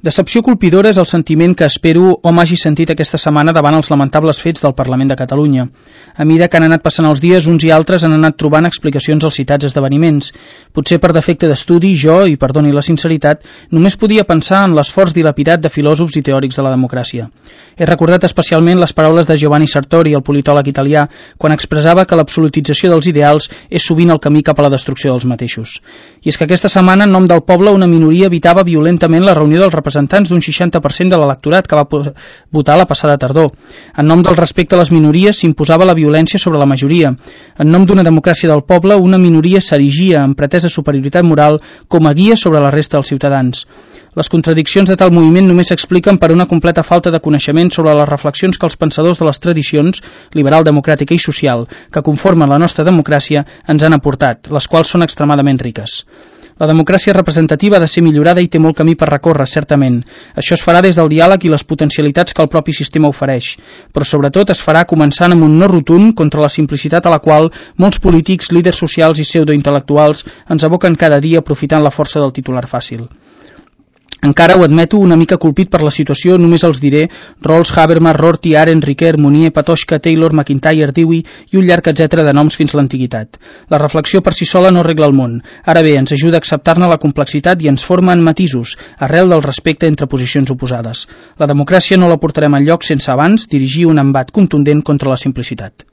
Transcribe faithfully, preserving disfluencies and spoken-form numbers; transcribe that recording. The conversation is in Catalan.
Decepció colpidora és el sentiment que espero hom hagi sentit aquesta setmana davant els lamentables fets del Parlament de Catalunya. A mesura que han anat passant els dies, uns i altres han anat trobant explicacions als citats esdeveniments. Potser per defecte d'estudi, jo, i perdoni la sinceritat, només podia pensar en l'esforç dilapidat de filòsofs i teòrics de la democràcia. He recordat especialment les paraules de Giovanni Sartori, el politòleg italià, quan expressava que l'absolutització dels ideals és sovint el camí cap a la destrucció dels mateixos. I és que aquesta setmana, en nom del poble, una minoria evitava violentament la reunió dels representants d'un seixanta per cent de l'electorat que va votar la passada tardor. En nom del respecte a les minories s'imposava la violència sobre la majoria. En nom d'una democràcia del poble, una minoria s'erigia amb pretesa superioritat moral com a guia sobre la resta dels ciutadans. Les contradiccions de tal moviment només s'expliquen per una completa falta de coneixement sobre les reflexions que els pensadors de les tradicions liberal, democràtica i social que conformen la nostra democràcia ens han aportat, les quals són extremadament riques. La democràcia representativa ha de ser millorada i té molt camí per recórrer, certament. Això es farà des del diàleg i les potencialitats que el propi sistema ofereix, però sobretot es farà començant amb un no rotund contra la simplicitat a la qual molts polítics, líders socials i pseudointel·lectuals ens aboquen cada dia aprofitant la força del titular fàcil. Encara ho admeto, una mica colpit per la situació, només els diré Rawls, Habermas, Rorty, Arendt, Ricoeur, Mounier, Patočka, Taylor, McIntyre, Dewey i un llarg etcètera de noms fins l'antiguitat. La reflexió per si sola no arregla el món. Ara bé, ens ajuda a acceptar-ne la complexitat i ens forma en matisos, arrel del respecte entre posicions oposades. La democràcia no la portarem enlloc sense abans dirigir un embat contundent contra la simplicitat.